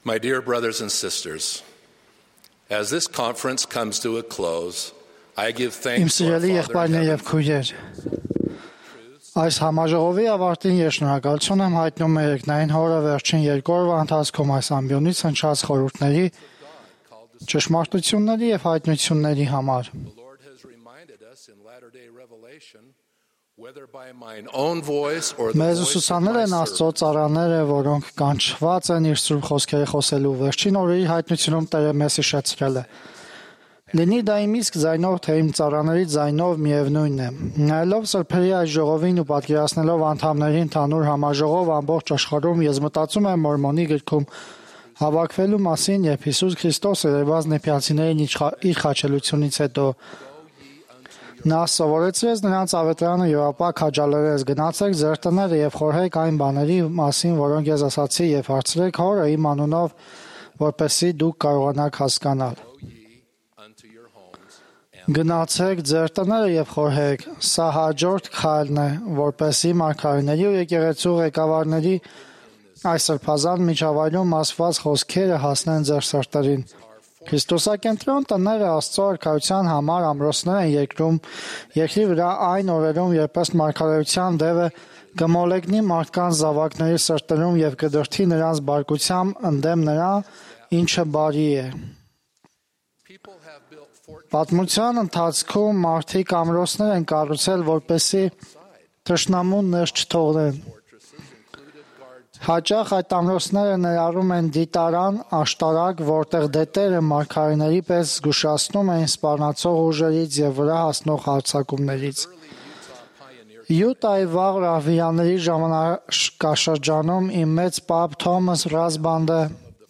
My dear brothers and sisters, as this conference comes to a close, I give thanks to our Father in heaven. Այս համաժողովի ավարտին ես շնորհակալություն եմ հայտնում մեր երկնային Հորը վերջին երկու օրվա ընթացքում այս ամբիոնից հնչած խորհուրդների, ճշմարտությունների և հայտնությունների համար։ Մեզ ուսուցանել են Աստծո ծառաները, որոնք կանչված են իր սուրբ խոսքերը խոսելու։ Վերջին օրերի հայտնությունում Տերը մեզ հիշեցրել է։ Լինի դա իմ իսկ ձայնով, թե իմ ծառաների ձայնով միևնույնն է։ Նայելով սրբերի այս ժողովին ու պատկերացնելով անդամների ընդհանուր համաժողով ամբողջ աշխարհում, ես մտածում եմ Մորմոնի գրքում հավաքվելու մասին, երբ Հիսուս Քրիստոսը երևաց նեփյալցիներին իր խաչելությունից հետո նա սովորեցրեց նրանց ավետարանը եւ ապա քաջալերեց. գնացեք ձեր տները եւ խորհեք այն բաների մասին, որոնք ես ասացի, եւ հարցրեք Հորը իմ անունով, որպեսզի դուք կարողանաք հասկանալ։ Գնացեք ձեր տները եւ խորհեք։ Սա հաջորդ քայլն է, որպեսզի մարգարեների ու եկեղեցու ղեկավարների այս սրբազան միջավայրում ասված խոսքերը հասնեն ձեր սրտերին։ Քրիստոսակենտրոն տները Աստծո արքայության համար ամրոցներ են երկրի վրա այն օրերում, երբ ըստ մարգարեության դևը կմոլեգնի մարդկանց զավակների սրտերում եւ կդրդի նրանց բարկությամբ ընդդեմ նրա, ինչը բարի է։ Պատմության ընթացքում մարդիկ ամրոցներ են կառուցել, որպեսզի թշնամուն ներս չթողնեն։ Հաճախ այդ ամրոցները ներառում են դիտարան, աշտարակ, որտեղ դետերը մարգարեների պես զգուշացնում են սպառնացող ուժերից եւ վրա հասնող հարձակումներից։ Յուտայի վաղ ռահվիաների ժամանակաշրջանում իմ մեծ պապ Թոմաս Ռասբանդը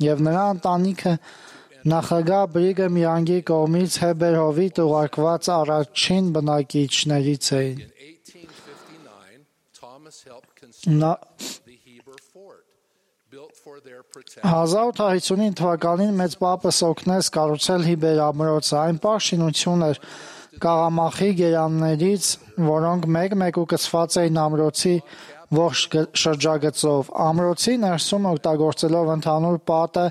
եւ նրա ընտանիքը նախագահ Բրիգեմ Յանգի կողմից Հեբերհովիտ ուղարկված առաջին բնակիչներից էին։ 1859 թվականին մեծ պապս օգնեց կառուցել Հիբեր ամրոցը։ Այն պարզ շինություն էր կաղամախի գերաններից, որոնք մեկ-մեկ ուկցված էին ամրոցի ողջ շրջագծով։ Ամրոցի ներսում օգտագործելով ընդհանուր պատը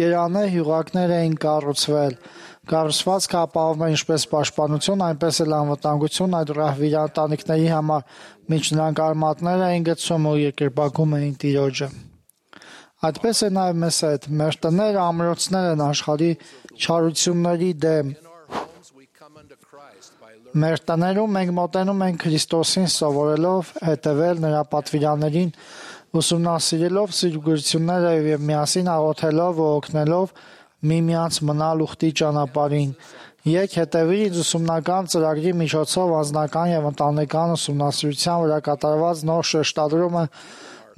գերանե հյուղակներ էին կառուցվել։ Կառուցվածքը ապահովում է ինչպես պաշտպանություն, այնպես էլ անվտանգություն այդ ռահվիա ընտանիքների համար, մինչ նրանք արմատներ էին գցում ու երկրպագում էին Տիրոջը։ Այդպես է նաև մեզ հետ։ Մեր տները ամրոցներ են աշխարհի չարությունների դեմ։ Մեր տներում մենք մոտենում ենք Քրիստոսին սովորելով հետևել նրա պատվիրաններին, ուսումնասիրելով սիրուգործությունները եւ միասին աղոթելով ու օգնելով միմյանց մնալ ուխտի ճանապարհին։ Եկ հետևի ինձ ուսումնական ծրագրի միջոցով անձնական եւ ընտանեկան ուսումնասիրության վրա կատարված նոր շեշտադրումը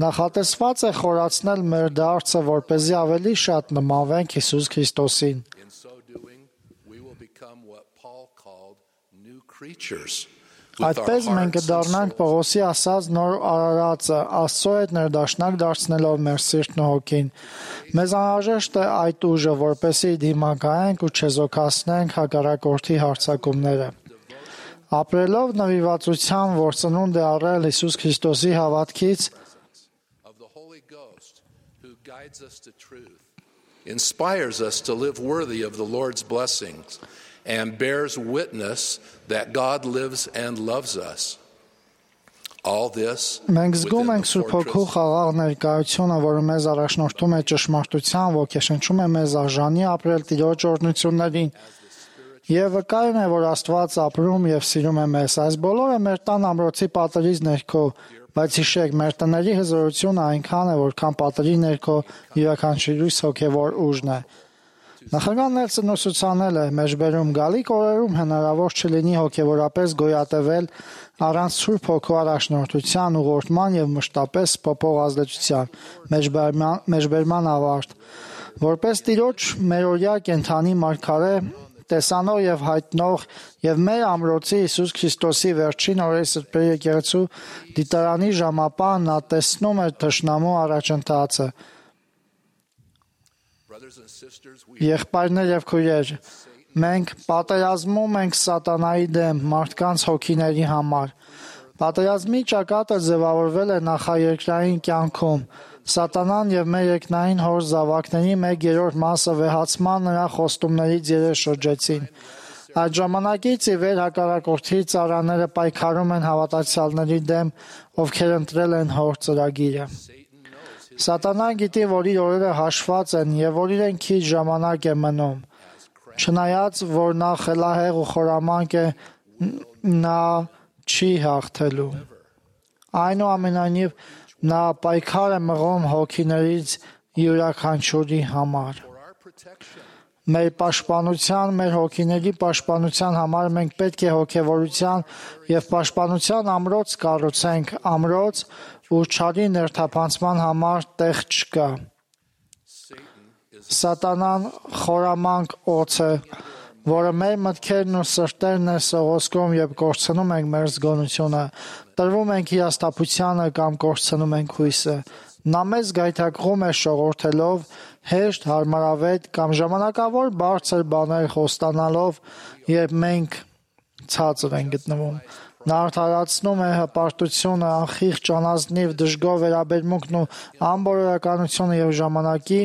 նախատեսված է խորացնել մեր դարձը, որպեսզի ավելի շատ նմանվենք Հիսուս Քրիստոսին։ Այդպես մենք կդառնանք Պողոսի ասած նոր արարածը, Աստծո հետ ներդաշնակ դարձնելով մեր սիրտն ու հոգին։ Մեզ անհրաժեշտ է այդ ուժը, որպեսզի դիմակայենք ու չեզոքացնենք հակառակորդի հարձակումները։ Ապրելով նվիրվածության, որ ծնունդ է առել Հիսուս Քրիստոսի հավատքից, inspires us to live worthy of the Lord's blessings and bears witness that God lives and loves us. All this մենք զգում ենք Սուրբ Հոգու խաղաղ ներկայությունը, որը մեզ առաջնորդում է ճշմարտության, ոգեշնչում է մեզ արժանի ապրել Տիրոջ օրհնություններին եւ վկայում է, որ Աստված ապրում եւ սիրում է մեզ։ Այս բոլորը մեր տան ամրոցի պատերից ներքո, բայց հիշեք, մեր տների հզորությունը այնքան է, որքան պատերի ներքո յուրաքանչյուրիս հոգեվոր ուժն է։ Նախագահ Նելսոնն ուսուցանել է, մեջբերում գալիք օրերում հնարավոր չլինի հոգեվորապես գոյատևել առանց Սուրբ Հոգու առաջնորդության, ուղղորդման եւ մշտապես փոփոխ ազդեցության, մեջբերման ավարտ։ Որպես Տիրոջ մերօրյա կենդանի մարգարե, տեսանող եւ հայտնող եւ մեր ամրոցի Հիսուս Քրիստոսի վերջին օրերի սրբերի եկեղեցու դիտարանի ժամապահ նա տեսնում էր թշնամու առաջընթացը։ Եղբայրներ եւ քույրեր, մենք պատերազմում ենք սատանայի դեմ մարդկանց հոգիների համար։ Պատերազմի ճակատը ձևավորվել է նախաերկրային կյանքում։ Սատանան եւ մեր երկնային հոր զավակների 1/3 մասը վեհացման նրա խոստումներից երես շրջեցին։ Այդ ժամանակից ի վեր հակառակորդի ծառաները պայքարում են հավատացյալների դեմ, ովքեր ընտրել են հոր ծրագիրը։ Սատանան գիտի, որ իր օրերը հաշված են եւ որ իրեն քիչ ժամանակ է մնում։ Չնայած, որ նա խելահեղ ու խորամանկ է, նա չի հաղթելու։ Այնուամենայնիվ, նա պայքար է մղում հոգիներից յուրաքանչյուրի համար։ Մեր պաշտպանության, մեր հոգիների պաշտպանության համար մենք պետք է հոգևորության եւ պաշտպանության ամրոց կառուցենք, ամրոց, ուր չարի ներթափանցման համար տեղ չկա։ Սատանան խորամանկ օձ է, որը մեր մտքերն ու սրտերն է սողոսկում եւ կորցնում ենք մեր զգոնությունը, տրվում ենք հիասթափությանը կամ կորցնում ենք հույսը։ Նա մեզ գայթակղում է շողորթելով, հեշտ, հարմարավետ կամ ժամանակավոր բարձր բաներ խոստանալով, երբ մենք ցածր ենք գտնվում։ Նա արդարացնում է հպարտությունը, անխիղճ անազնիվ դժգոհ վերաբերմունքն ու անբորորականությունը եւ ժամանակի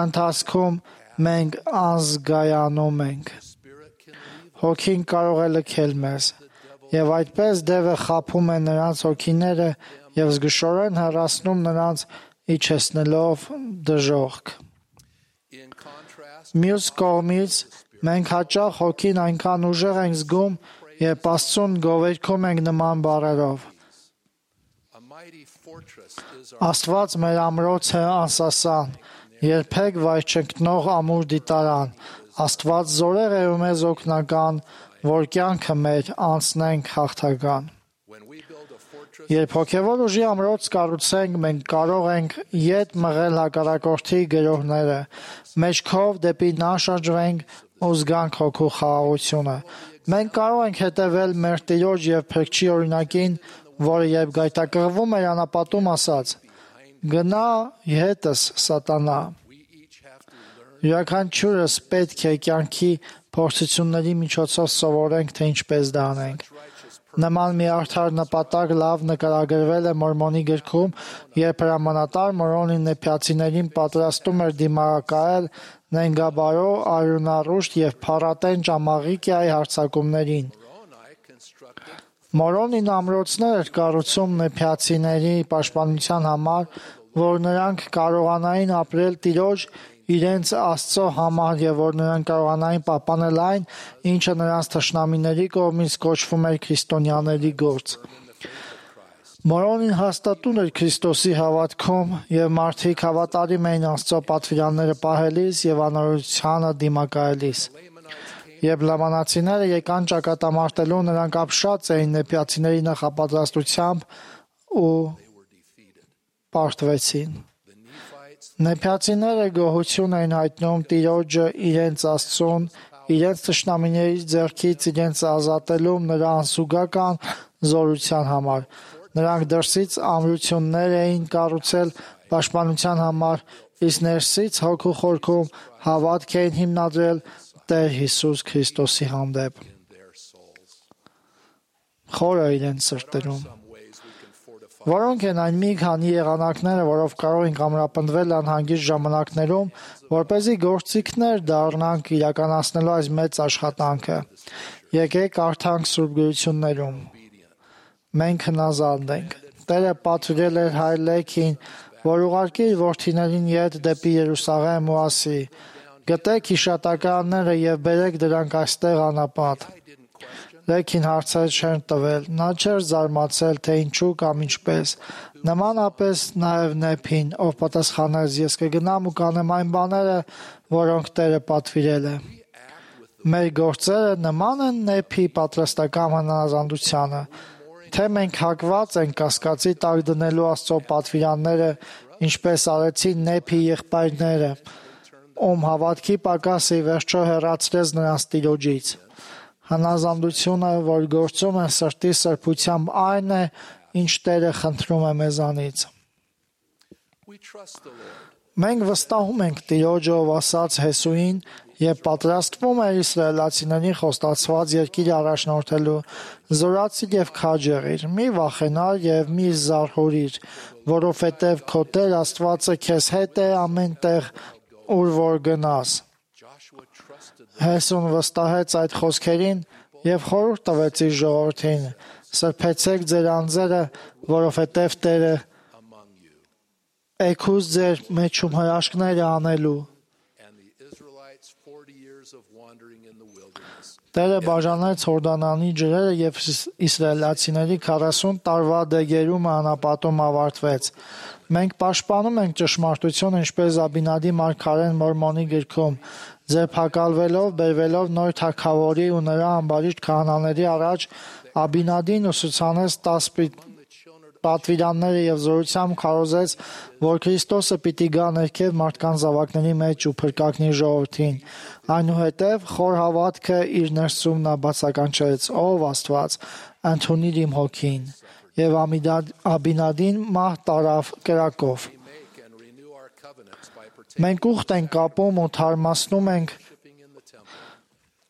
ընթացքում մենք անզգայանում ենք։ Հոգին կարող է լքել մեզ, եւ այդպես դևը խաբում է նրանց հոգիները եւ զգուշորեն հեռացնում նրանց, իջեցնելով դժոխք։ Մյուս կողմից, մենք հաճախ հոգին այնքան ուժեղ ենք զգում, երբ Աստծուն գովերգում ենք նման բառերով. Աստված մեր ամրոց է անսասան, երբեք վայր չընկնող ամուր դիտարան, Աստված զորեղ է ու մեզ օգնական, որ կյանքը մեր անցնենք հաղթական։ Երբ հոգևոր ուժի ամրոց կառուցենք, մենք կարող ենք ետ մղել հակառակորդի գրոհները, մեջքով դեպի նա շրջվենք ու զգանք հոգու խաղաղությունը։ Մենք կարող ենք հետևել մեր Տիրոջ եւ Փրկչի օրինակին, որը երբ գայթակղվում էր անապատում ասաց. «Գնա հետս, Սատանա»։ Յուրաքանչյուրս պետք է կյանքի փորձությունների միջոցով սովորենք, թե ինչպես դա անենք։ Նման մի արդար նպատակ լավ նկարագրվել է Մորմոնի գրքում, երբ հրամանատար Մորոնին նեփյացիներին պատրաստում էր դիմակայել նենգաբարո, արյունառուշտ եւ փառատեն ճամաղիկիայի հարձակումներին։ Մորոնին ամրոցներ էր կառուցում նեփյացիների պաշտպանության համար, որ նրանք կարողանային ապրել Տիրոջ իրենց Աստծո համար եւ որ նրանք կարողանային պահպանել այն, ինչը նրանց թշնամիների կողմից կոչվում էր քրիստոնյաների գործ։ Մորոնին հաստատուն էր Քրիստոսի հավատքում եւ մարդիկ հավատարիմ էին Աստծո պատվիրանները պահելիս եւ անօրությանը դիմակայելիս։ Երբ լամանացիները եկան ճակատամարտելու, նրանք ապշած էին նեփյացիների նախապատրաստությամբ ու պարտվեցին։ Նեփյացիները գոհություն էին հայտնում Տիրոջը իրենց Աստծուն, իրենց թշնամիների ձեռքից իրենց ազատելում նրա անսուգական զորության համար։ Նրանք դրսից ամրություններ էին կառուցել պաշտպանության համար, իսկ ներսից հոգու խորքում հավատք էին հիմնադրել Տեր Հիսուս Քրիստոսի հանդեպ։ Խորը իրենց սրտերում։ Որոնք են այն մի քանի եղանակները, որով կարող ենք ամրապնդվել անհանգիստ ժամանակներում, որպեսզի գործիքներ դառնանք իրականացնելու այս մեծ աշխատանքը։ Եկեք կարդանք Սուրբ Գրություններում։ Մենք հնազանդ ենք։ Տերը պատվիրել էր հայր Լեքին, որ ուղարկի իր որդիներին ետ դեպի Երուսաղեմ ու ասի. «Գտեք հիշատակարանները եւ բերեք դրանք այստեղ անապատ»։ Լեքին հարցեր չեն տվել, նա չէր զարմացել, թե ինչու կամ ինչպես։ Նմանապես նաև Նեփին, ով պատասխանեց. «Ես կգնամ ու կանեմ այն բաները, որոնք Տերը պատվիրել է»։ Մեր գործերը նման են Նեփի պատրաստական հնազանդությանը, թե մենք հակված ենք կասկածի տակ դնելու Աստծո պատվիրանները, ինչպես արեցին Նեփի եղբայրները, ում հավատքի պակասը ի վերջո հեռացրեց նրանց Տիրոջից։ Հնազանդությունը, որ գործում է սրտի սրբությամբ, այն է, ինչ Տերը խնդրում է մեզանից։ Մենք վստահում ենք Տիրոջը, ով ասաց Հեսուին, եւ պատրաստվում էր իսրայելացիներին խոստացված երկիր առաջնորդելու, զորացիր եւ քաջ եղիր, մի վախենար եւ մի զարհուրիր, որովհետեւ քո Տեր Աստվածը քեզ հետ է ամեն տեղ, ուր որ գնաս։ Հեսուն վստահեց այդ խոսքերին եւ խորհուրդ տվեց իր ժողովրդին. սրբեցեք ձեր անձերը, որովհետեւ Տերը եկուս ձեր մեջում հրաշքները անելու։ Տերը բաժանեց Հորդանանի ջրերը եւ իսրայելացիների 40 տարվա դեգերումը անապատում ավարտվեց։ Մենք պաշտպանում ենք ճշմարտությունը, ինչպես Աբինադի մարգարեն Մորմոնի գրքում, ձերբակալվելով, բերվելով նոր թագավորի ու նրա ամբարիշտ քահանաների առաջ, Աբինադին ուսուցանեց 10 պատվիրանները եւ զորությամբ քարոզեց, որ Քրիստոսը պիտի գա ներքև մարդկանց զավակների մեջ ու փրկակնի ժողովրդին։ Այնուհետև խոր հավատքը իր ներսում նա բացականչեց. «Ով Աստված, ընդունիր իմ հոգին», եւ Աբինադին մահ տարավ կրակով։ Մենք ուխտ ենք կապում ու թարմացնում ենք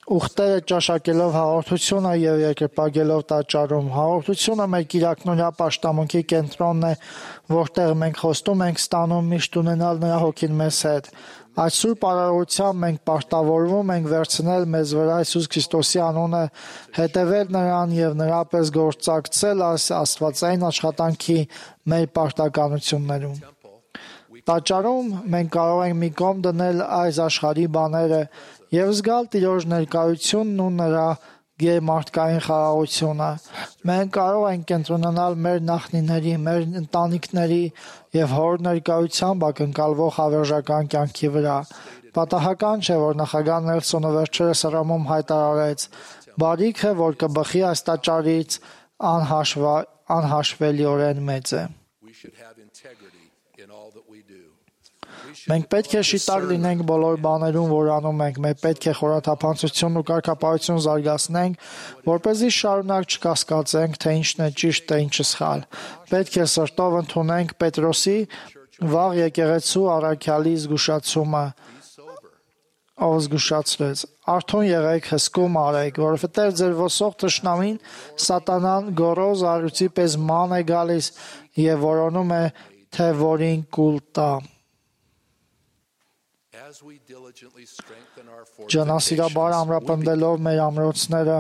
ուխտերը ճաշակելով հաղորդությունը եւ երկրպագելով տաճարում։ Հաղորդությունը մեր կիրակնօրյա պաշտամունքի կենտրոնն է, որտեղ մենք խոստում ենք ստանում միշտ ունենալ նրա հոգին մեզ հետ։ Այդ սուրբ արարողությամբ մենք պարտավորվում ենք վերցնել մեզ վրա Հիսուս Քրիստոսի անունը, հետևել նրան եւ նրա պես գործակցել այս աստվածային աշխատանքի մեր պարտականություններում։ Տաճարում մենք կարող ենք մի կողմ դնել այս աշխարհի բաները եւ զգալ Տիրոջ ներկայությունն ու նրա գերմարդկային խաղաղությունը։ Մենք կարող ենք կենտրոնանալ մեր նախնիների, մեր ընտանիքների եւ հոր ներկայությամբ ակնկալվող հավերժական կյանքի վրա։ Պատահական չէ, որ նախագահ Նելսոնը վերջերս Հռոմում հայտարարեց. «Բարիքը, որ կբխի այս տաճարից, անհաշվելիորեն մեծ է»։ Մենք պետք է շիտակ լինենք բոլոր բաներում, որ անում ենք։ Մենք պետք է խորաթափանցություն ու կարգապահություն զարգացնենք, որպեսզի շարունակ չկասկածենք, թե ինչն է ճիշտ, թե ինչը սխալ։ Պետք է սրտով ընդունենք Պետրոսի վաղ եկեղեցու առաքյալի զգուշացումը, ով զգուշացրեց. «Արթուն եղեք, հսկում արեք, որովհետև ձեր ոսող թշնամին սատանան գոռոզ առյուծի պես ման է գալիս եւ որոնում է, թե որին կուլ տա»։ Ջանասիրաբար ամրապնդելով մեր ամրոցները,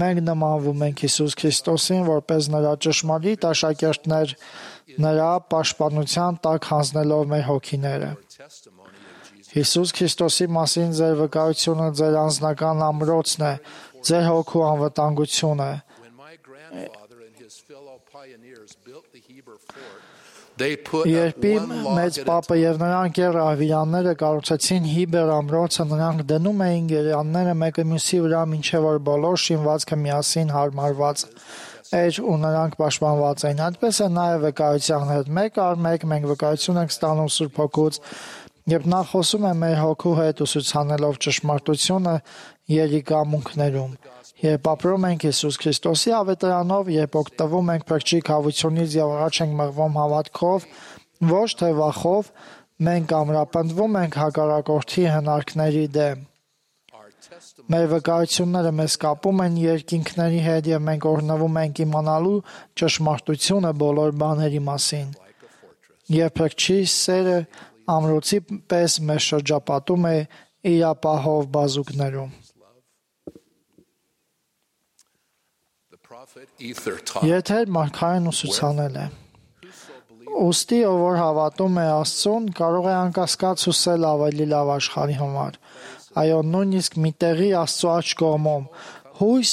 մենք նմանվում ենք Հիսուս Քրիստոսին, որպես նրա ճշմարիտ աշակերտներ, նրա պաշտպանության տակ հանձնելով մեր հոգիները։ Հիսուս Քրիստոսի մասին ձեր վկայությունը ձեր անձնական ամրոցն է, ձեր հոգու անվտանգությունը։ Երբ իմ մեծ պապը եւ նրա ընկեր ռահվիրանները կառուցեցին Հիբեր ամրոցը, նրանք դնում էին գերանները մեկը մյուսի վրա, մինչեւ որ բոլոր շինվածքը միասին հարմարված էր ու նրանք պաշտպանված էին։ Այդպես է նաեւ վկայության հետ։ Մեկ առ մեկ մենք վկայություն ենք ստանում Սուրբ Հոգուց, երբ նա խոսում է մեր հոգու հետ ուսուցանելով ճշմարտությունը երիկամունքներում։ Երբ ապրում ենք Հիսուս Քրիստոսի ավետարանով, երբ օգտվում ենք փրկչի քավությունից եւ առաջ ենք մղվում հավատքով, ոչ թե վախով, մենք ամրապնդվում ենք հակառակորդի հնարքների դեմ։ Մեր վկայությունները մեզ կապում են երկինքների հետ եւ մենք օրհնվում ենք իմանալու ճշմարտությունը բոլոր բաների մասին։ Եվ փրկչի սերը ամրոցի պես մեզ շրջապատում է իր ապահով բազուկներում։ Եթեր մարգարեն ուսուցանել է. «Ուստի ով որ հավատում է Աստծուն, կարող է անկասկած հուսել ավելի լավ աշխարհի համար։ Այո, նույնիսկ մի տեղի Աստծո աջ կողմում հույս,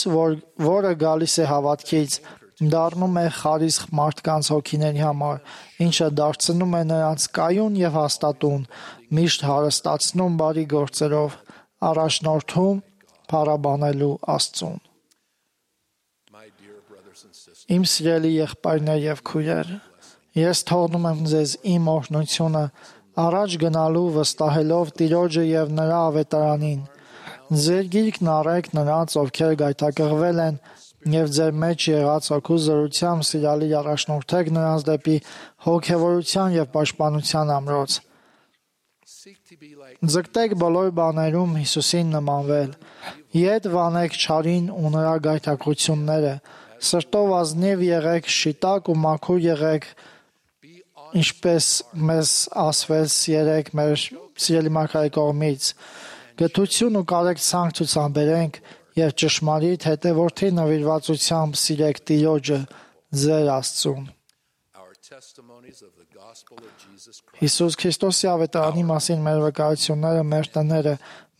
որը գալիս է հավատքից, դառնում է խարիսխ մարդկանց հոգիների համար, ինչը դարձնում է նրանց կայուն եւ հաստատուն, միշտ հարստացնում բարի գործերով, առաջնորդում փառաբանելու Աստծուն»։ Իմ սիրելի եղբայրներ եւ քույրեր, ես թողնում եմ ձեզ իմ օրհնությունը առաջ գնալու վստահելով Տիրոջը եւ նրա ավետարանին։ Ձեր գիրկն առեք նրանց, ովքեր գայթակղվել են, եւ ձեր մեջ եղած հոգու զորությամբ սիրալիր առաջնորդեք նրանց դեպի հոգեվորության եւ պաշտպանության ամրոց։ Ձգտեք բոլոր բաներում Հիսուսին նմանվել։ Ետ վանեք չարին ու նրա գայթակղությունները։ Սրտով ազնիվ եղեք, շիտակ ու մաքուր եղեք, ինչպես մեզ ասվեց երեք մեր սիրելի մարգարեի կողմից։ Գթություն ու կարեկցանք ցուցաբերենք եւ ճշմարիտ հետևորդի նվիրվածությամբ սիրեք Տիրոջը, ձեր Աստծուն։ Հիսուս Քրիստոսի ավետարանի մասին մեր վկայությունները, մեր տները,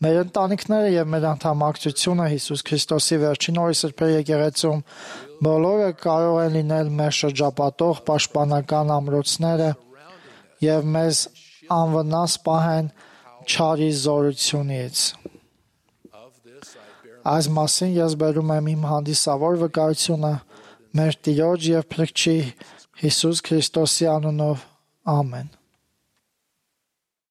մեր ընտանիքները եւ մեր անդամակցությունը Հիսուս Քրիստոսի վերջին օրի սրբերի եկեղեցում բոլորը կարող են լինել մեր շրջապատող պաշտպանական ամրոցները եւ մեզ անվնաս պահեն չարի զորությունից։ Այս մասին ես բերում եմ իմ հանդիսավոր վկայությունը մեր Տիրոջ եւ Փրկչի Հիսուս Քրիստոսի անունով։ Ամեն։